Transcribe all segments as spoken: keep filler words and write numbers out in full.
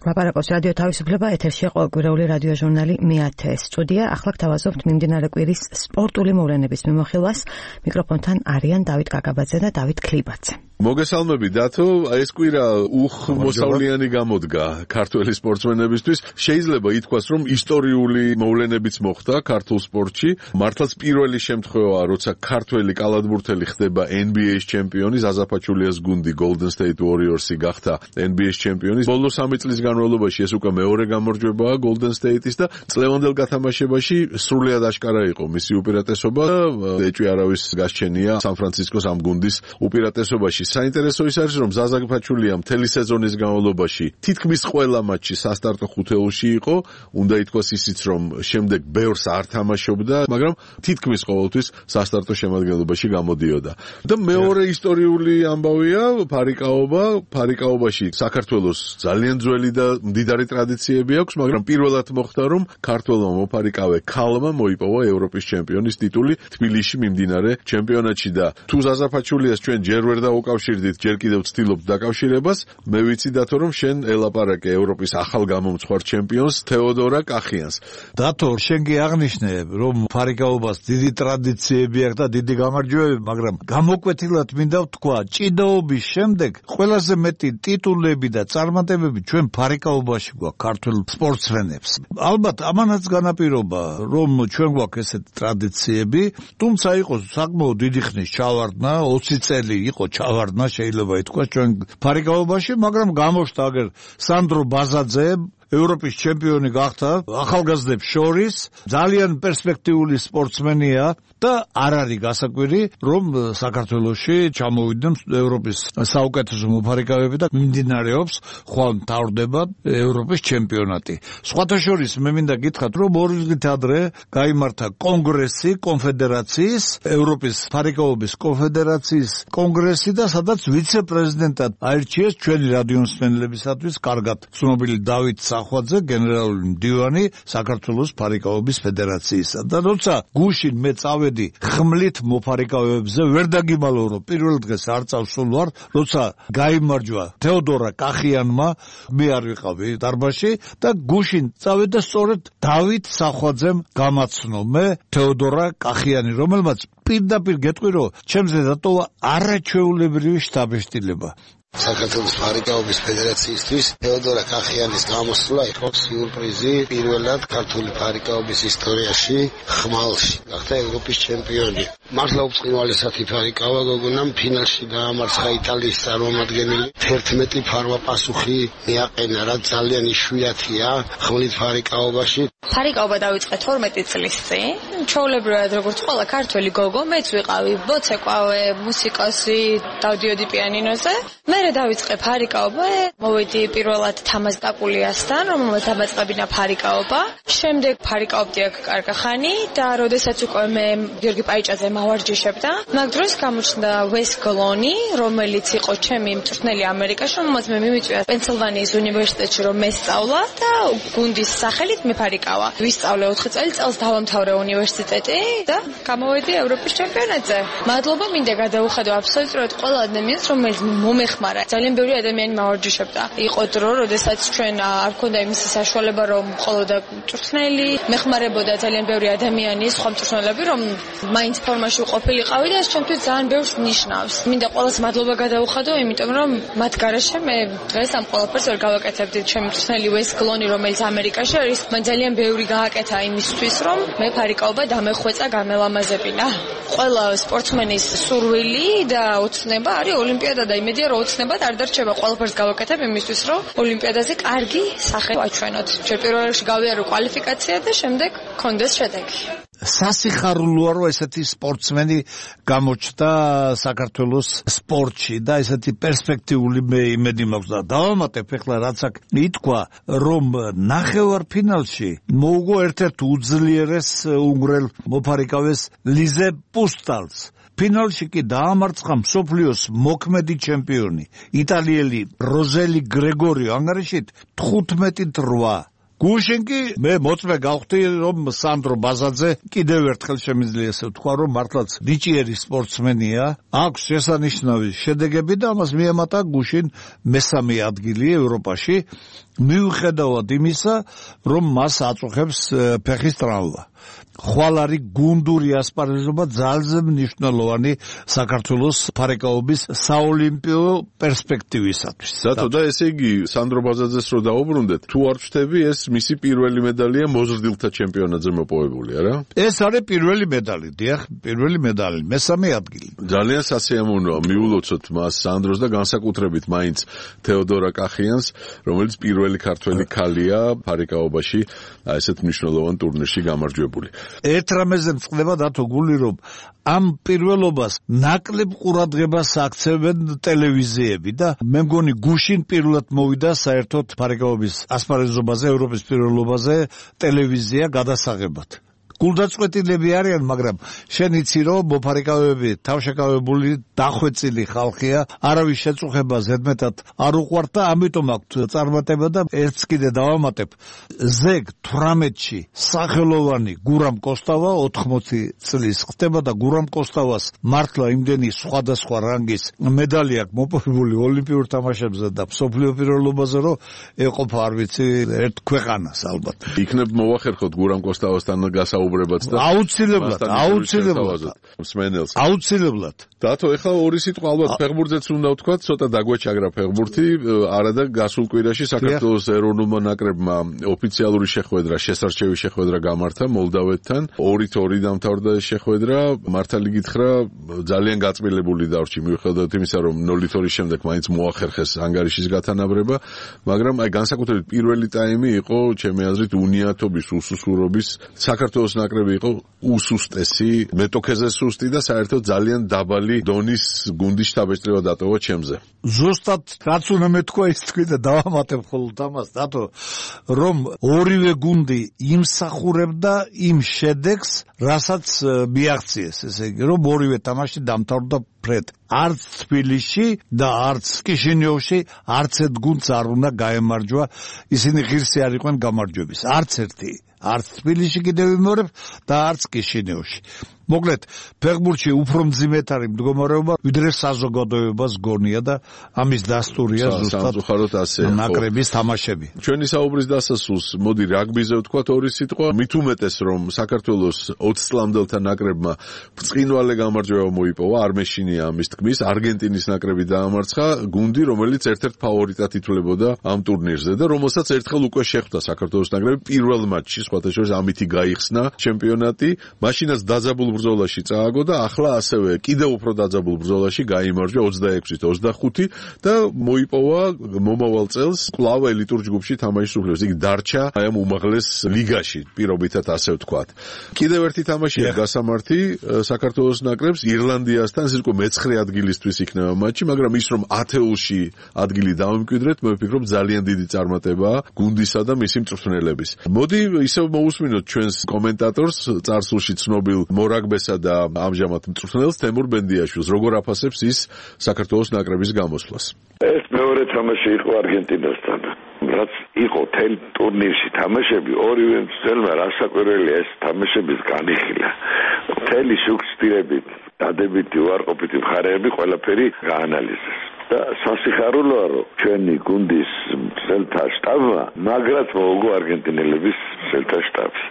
ლაპარაკობს რადიო თავისუფლება, ეთერშია ყოველკვირეული რადიო ჟურნალი მეათე სტუდია. ახლა გთავაზობთ მიმდინარე კვირის სპორტული მოვლენების მიმოხილვას. მიკროფონთან არიან დავით კაკაბაძე და დავით ქლიბაძე. მოგესალმები დათო, ეს კვირა უხმოსავლიანი გამოდგა ქართველი სპორტსმენებისთვის. შეიძლება ითქვას, რომ ისტორიული მოვლენებიც მოხდა ქართულ სპორტში. მართლაც პირველი შემთხვევაა, როცა ქართველი კალათბურთელი ხდება N B A-ის ჩემპიონი, ზაზა ფაჩულიას გუნდი Golden State Warriors-ი გახდა N B A-ის ჩემპიონი. ბოლო სამი წლის განმავლობაში ეს უკვე მეორე გამარჯვებაა Golden State-ის და წლევანდელ გათამაშებაში სრულიად აშკარა იყო მისი უპირატესობა. ეჭვი არავის გასჩენია სან-ფრანცისკოს ამ გუნდის უპირატესობაში. საინტერესო ის არის, რომ ზაზა ფაჩულია მთელი სეზონის განმავლობაში თითქმის ყველა მატჩი სასტარტო ხუთეულში იყო. უნდა ითქვას ისიც, რომ შემდეგ ბევრს არ თამაშობდა, მაგრამ თითქმის ყოველთვის სასტარტო შემადგენლობაში გამოდიოდა. და მეორე ისტორიული ამბავია ფარიკაობა. ფარიკაობაში საქართველოს ძალიან ძველი და მდიდარი ტრადიციები აქვს, მაგრამ პირველად მოხდა, რომ ქართველმა მოფარიკავე ქალმა მოიპოვა ევროპის ჩემპიონის ტიტული თბილისში მიმდინარე ჩემპიონატში და თუ ზაზა ფაჩულიას ჩვენ ჯერ ვერ დავუკავშირდით, ჯერ კიდევ ვცდილობთ დაკავშირებას, მე ვიცი დათო, რომ შენ ელაპარაკე ევროპის ახალ გამომცხვარ ჩემპიონს თეოდორა კახიანს. დათო, შენ კი აღნიშნე, რომ ფარიკაობას დიდი ტრადიციები აქვს და დიდი გამარჯვებები, მაგრამ გამოკვეთილად მინდა ვთქვა, ჭიდაობის შემდეგ ყველაზე მეტი ტიტულები და წარმატებები ჩვენ ფარიკაობაში გვაქვს ქართულ სპორტსმენებს. ალბათ ამანაც განაპირობა, რომ ჩვენ გვაქვს ესეთი ტრადიციები, თუმცა იყო საკმაოდ დიდი ხნის ჩავარდნა, ოცი წელი იყო ჩავარდნა, შეიძლება ითქვას ჩვენ ფარიკაობაში, მაგრამ გამოშთა აგერ სანდრო ბაზაძე ევროპის ჩემპიონი გახდა ახალგაზრდებს შორის, ძალიან პერსპექტიული სპორტსმენია და არ არის გასაკვირი, რომ საქართველოში ჩამოვიდნენ ევროპის საუკეთესო მოფარიკავები და მიმდინარეობს ხვალ მთავრდება ევროპის ჩემპიონატი. სხვათა შორის მე მინდა გითხრათ, რომ ორი დღით ადრე გაიმართა კონგრესი კონფედერაციის, ევროპის ფარიკაობის კონფედერაციის კონგრესი და სადაც ვიცე-პრეზიდენტად აირჩიეს ჩვენი რადიომსმენელებისათვის კარგად ცნობილი დავით ახვალზე გენერალური მდივანი საქართველოს ფარიკაობის ფედერაციისა და როცა გუშინ მე წავედი ხმლით მოფარიკავებზე ვერ დაგიმალო რომ პირველ დღეს არ წავსულ ვარ როცა გაიმარჯვა თეოდორა კახიანმა მე არ ვიყავი დარბაზში და გუშინ წავედი და სწორედ დავით ახვალზემ გამაცნო მე თეოდორა კახიანი რომელმაც პირდაპირ გეტყვი რომ ჩემზე დატოვა არაჩვეულებრივი შთაბეჭდილება. საქართველოს ფარიკაობის ფედერაციისთვის თეოდორა კახიანის გამოსვლა იყო სიურპრიზი პირველად ქართული ფარიკაობის ისტორიაში ხმალში გახდა ევროპის ჩემპიონი. მართლა უწყინვალესათი ფარიკავა გოგონამ ფინალში დაამარცხა იტალიის წარმომადგენელი. თერთმეტი ფარვა პასუხი მიაყენა, რაც ძალიან იშვიათია ხმლით ფარიკაობაში. ფარიკაობა დაიწყე თორმეტი წლის წინ. ჩვეულებრივად როგორც ყველა ქართველი გოგო, მეც ვიყავი ბოცეკვავე, მუსიკოსი, დავდიოდი პიანინოზე. მერე დავიწყე ფარიკაობა, მოვედი პირველად თამაზ კაკულიასთან, რომელმაც დამაწყებინა ფარიკაობა. შემდეგ ფარიკაობდი აქ კარგი ხანი და როდესაც უკვე მე გიორგი პაიჭაძე მავარჯიშებდა, მაგ დროს გამოჩნდა ვეს გლონი, რომელიც იყო ჩემი მწვრთნელი ამერიკაში, რომელმაც მე მიმიწვია პენსილვანიის უნივერსიტეტში რომ მესწავლა და გუნდის სახელით მე ფარიკავა. ვისწავლე ოთხი წელი, წელს დავამთავრე უნივერსიტეტი და გამოვედი ევროპის ჩემპიონატზე. მადლობა მინდა გადაუხადო აბსოლუტურად ყველა ადამიანს, რომელიც მომეხმარა. ძალიან ბევრი ადამიანი მავარჯიშებდა. იყო დრო, როდესაც ჩვენ არ ქონდა იმის საშუალება, რომ მხოლოდ მწვრთნელი მეხმარებოდა ძალიან ბევრი ადამიანი, სხვა მწვრთნელები, რომ მაინც ფორმაში ყოფილიყავი და ეს ჩემთვის ძალიან ბევრს ნიშნავს. მინდა ყველას მადლობა გადაუხადო, იმიტომ რომ მათ გარეშე მე დღეს ამ ყველაფერს ვერ გავაკეთებდი. ჩემი მწვრთნელი ვეს გლონი, რომელიც ამერიკაში არის, მან ძალიან ბევრი გააკეთა იმისთვის, რომ მე ფარიკაობა დამეხვეწა, გამელამაზებინა. ყველა სპორტსმენის სურვილი და ოცნება არის ოლიმპიადა და იმედია რომ ოცნებად არ დარჩება ყველაფერს გავაკეთებ იმისთვის რომ ოლიმპიადაზე კარგი სახე ვაჩვენოთ. ჩვენ პირველ რიგში გავიარო კვალიფიკაცია და შემდეგ გქონდეს შედეგი. სასიხარულოა რომ ესეთი სპორტსმენი გამოჩნდა საქართველოს სპორტში და ესეთი პერსპექტიული მე იმედი მაქვს და დავამატებ ახლა რაც აქ ითქვა რომ ნახევარფინალში მოუგო ერთ-ერთ უძლიერეს უნგრელ მოფარიკავეს ლიზე პუსტალს. ფინალში კი დაამარცხა მსოფლიოს მოქმედი ჩემპიონი იტალიელი როზელი გრეგორიო ანგარიშით თხუთმეტი რვა. გუშინ კი მე მოწმე გავხდი რომ სანდრო ბაზაძე კიდევ ერთხელ შემიძლია ესე ვთქვა რომ მართლაც ნიჭიერი სპორტსმენია, აქვს შესანიშნავი შედეგები და ამას მიემატა გუშინ მესამე ადგილი ევროპაში, მიუხედავად იმისა, რომ მას აწუხებს ფეხის ტრავმა. ხვალ არის გუნდური ასპარეზობა ძალზე მნიშვნელოვანი საქართველოს ფარეკაობის საოლიმპიო პერსპექტივისათვის. დათო და ესე იგი სანდრო ბაზაძეს რო დაუბრუნდეთ, თუ არ ვჩნდები ეს მისი პირველი მედალია მოზრდილთა ჩემპიონატზე მოპოვებული, არა? ეს არის პირველი მედალი, დიახ, პირველი მედალი, მესამე ადგილი. ძალიან სასიამოვნოა მიულოცოთ მას სანდროს და განსაკუთრებით მაინც თეოდორა კახიანს, რომელიც პირველი ქართველი ქალია ფარეკაობაში ესეთ მნიშვნელოვან ტურნირში გამარჯვებული. ერთ რამეზე მწყდება დათო გული რომ ამ პირველობას ნაკლებ ყურადღებას აქცევენ ტელევიზიები და მე მგონი გუშინ პირველად მოვიდა საერთოდ ფარეკაობის ასპარეზობაზე ევროპის პირველობაზე ტელევიზია გადასაღებად. გულდაწყვეტილები არიან, მაგრამ შენ იცი რომ მოფარიკავები თავშეკავებული დახვეწილი ხალხია, არავის შეწუხება ზედმეტად არ უყვართ და ამიტომ აქვთ წარმატება და ერთს კიდე დავამატებ. ზეგ თვრამეტში სახელოვანი გურამ კოსტავა ოთხმოცი წლის ხდება და გურამ კოსტავას მართლა იმდენი სხვადასხვა რანგის მედალი აქვს მოპოვებული ოლიმპიურ თამაშებზე და მსოფლიო პირველობაზე, რომ ეყოფა არ ვიცი ერთ ქვეყანას ალბათ. იქნებ მოვახერხოთ გურამ კოსტავასთან გასაუბრებად. აუცილებლად, აუცილებლად. მსმენელს. აუცილებლად. დათო, ეხლა ორი სიტყვა ალბათ ფეხბურთზეც უნდა ვთქვა, ცოტა დაგვეჩაგრა ფეხბურთი, არადა გასულ კვირაში საქართველოს ეროვნულმა ნაკრებმა ოფიციალური შეხვედრა, შესარჩევი შეხვედრა გამართა მოლდავეთთან. ორით ორი დამთავრდა ეს შეხვედრა, მართალი გითხრა, ძალიან გაწმილებული დარჩი, მიუხედავად იმისა, რომ ნულით ორი შემდეგ მაინც მოახერხეს ანგარიშის გათანაბრება, მაგრამ აი განსაკუთრებით პირველი ტაიმი იყო, ჩემი აზრით, უნიათობის, უსუსურობის, საქართველოს ნაკრები იყო უსუსტესი, მეტოქეზე სუსტი და საერთოდ ძალიან დაბალი დონის გუნდის შტაბ-ეჭრება დატოვა ჩემზე. ზუსტად რაც უნდა მეთქვა ის თქვი და დავამატებ მხოლოდ ამას, დათო, რომ ორივე გუნდი იმსახურებდა იმ შედეგს, რასაც მიაღწიეს, ესე იგი, რომ ორივე თამაში დამთავრდა ფრედ. არც თბილისში და არც კიშინიოვში არც ერთ გუნდს არ უნდა გაემარჯვა, ისინი ღირსი არ იყვნენ გამარჯვების. არც ერთი. არც თბილისში კიდევ ვიმეორებ და არც კიშინიოვში. მოკლედ, ფეხბურთში უფრო მძიმედ არის მდგომარეობა, ვიდრე საზოგადოებას გონია და ამის დასტურია ზუსტად ნაკრების თამაშები. ჩვენი საუბრის დასასრულს მოდი რაგბიზე ვთქვათ ორი სიტყვა. მით უმეტეს რომ საქართველოს ოცი წლამდელთა ნაკრებმა ბრწყინვალე გამარჯვება მოიპოვა, არ მეშინია ამის თქმის, არგენტინის ნაკრები დაამარცხა, გუნდი რომელიც ერთ-ერთ ფავორიტად ითვლებოდა ამ ტურნირზე და რომელსაც ერთხელ უკვე შეხვდა საქართველოს ნაკრები პირველ მატჩში, სხვათა შორის ამითი გაიხსნა ჩემპიონატი, მაშინაც დაძაბულ ბრძოლაში წააგო და ახლა ასევე კიდევ უფრო დაძაბულ ბრძოლაში გაიმარჯვა ოცდაექვსით ოცდახუთი და მოიპოვა მომავალ წელს კვლავ ელიტურ ჯგუფში თამაშის უფლებას. იგი დარჩა აი ამ უმაღლეს ლიგაში, პირობითად ასე ვთქვათ. კიდევ ერთი თამაშია გასამართი საქართველოს ნაკრებს ირლანდიასთან, ეს უკვე მეცხრე ადგილისთვის იქნება მატჩი, მაგრამ ის რომ ათეულში ადგილი დავიმკვიდრეთ, მე ვფიქრობ ძალიან დიდი წარმატებაა გუნდისა და მისი მწვრთნელების. მოდი ისევ მოусმინოთ ჩვენს კომენტატორს, წარსულში ცნობილ მორაგბესა და ამჟამად მწვრთნელს თემურ ბენდიაშვილს, როგორ აფასებს ის საქართველოს ნაკრების გამოსვლას. ეს მეორე თამაში იყო არგენტინასთან. რაც იყო თელ ტურნირში თამაშები, ორივე მცველმა რასაკვირველია ეს თამაშების განიხილა. მთელი შუქსტირებით, დადებითი, უარყოფითი მხარეები ყველაფერი გაანალიზეს. და სასიხარულოა რომ ჩვენი გუნდის მცველთა შტაბმა მაგრად მოუგო არგენტინელების მცველთა შტაბს.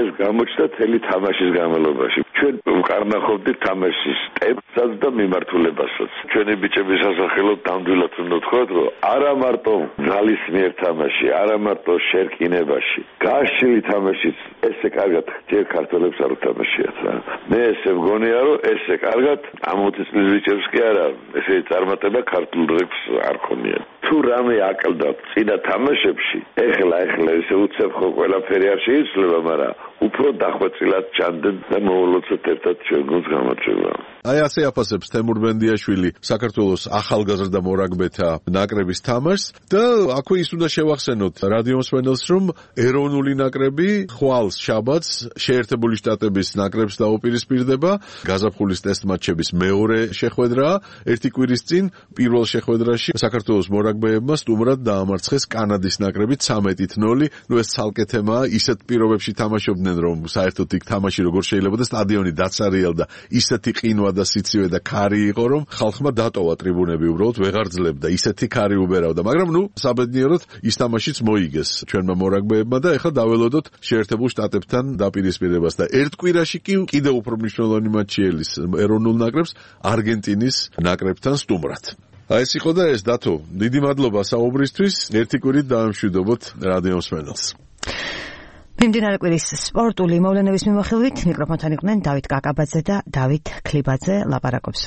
ეს გამოჩნდა თელი თამაშის განმავლობაში. ჩვენ ვკარნახობდით თამაშის ტემპსაც და მიმართულებასაც. ჩვენი ბიჭების სასახელოდ ნამდვილად უნდა ვთქვათ, რომ არა მარტო ძალისმიერ თამაში, არა მარტო შერკინებაში, გაშლილი თამაშიც ესე კარგად ჯერ ქართველებს არ უთამაშიათ რა. მე ესე მგონია, რომ ესე კარგად ამ ოცი წლის ბიჭებს კი არა, ესე წარმატება ქართულ რეგს არ ხონია. თუ რამე აკლდა წინა თამაშებში, ეხლა ეხლა ესე უცებ ხო ყველაფერი არ შეიძლება, მაგრამ უფრო დახვეწილად ჩანდნენ და მოულოცოთ ერთად ჩვენ გუნდს გამარჯვება. აი ასე აფასებს თემურ ბენდიაშვილი საქართველოს ახალგაზრდა მორაგბეთა ნაკრების თამაშს და აქვე ის უნდა შევახსენოთ რადიო მსმენელს, რომ ეროვნული ნაკრები ხვალს შაბათს შეერთებული შტატების ნაკრებს დაუპირისპირდება. გაზაფხულის ტესტ მატჩების მეორე შეხვედრაა. ერთი კვირის წინ პირველ შეხვედრაში საქართველოს მორაგბეებმა სტუმრად დაამარცხეს კანადის ნაკრები ცამეტით ნოლი. ნუ ეს ცალკე თემაა, ისეთ პირობებში თამაშობდნენ, რომ საერთოდ იქ თამაში როგორ შეიძლება და სტადიონი დაცარიელდა, ისეთი ყინვა და სიცივე და ქარი იყო, რომ ხალხმა დატოვა ტრიბუნები, უბრალოდ ვეღარ ძლებდა, ისეთი ქარი უბერავდა. მაგრამ ნუ საბედნიეროდ ის თამაშიც მოიგეს ჩვენმა მორაგბეებმა და ეხლა დაველოდოთ შეერთებულ შტატებთან დაპირისპირებას და ერთ კვირაში კი კიდევ უფრო მნიშვნელოვანი მატჩი ელის ეროვნულ ნაკრებს არგენტინის ნაკრებთან სტუმრად. აი ეს იყო და ეს დათო, დიდი მადლობა საუბრისთვის. ერთი კვირით დაამშვიდობოთ რადიო მსმენელს. მიმდინარე კვირის სპორტული მოვლენების მიმოხილვით მიკროფონთან იყვნენ დავით კაკაბაძე და დავით ქლიბაძე. ლაპარაკობს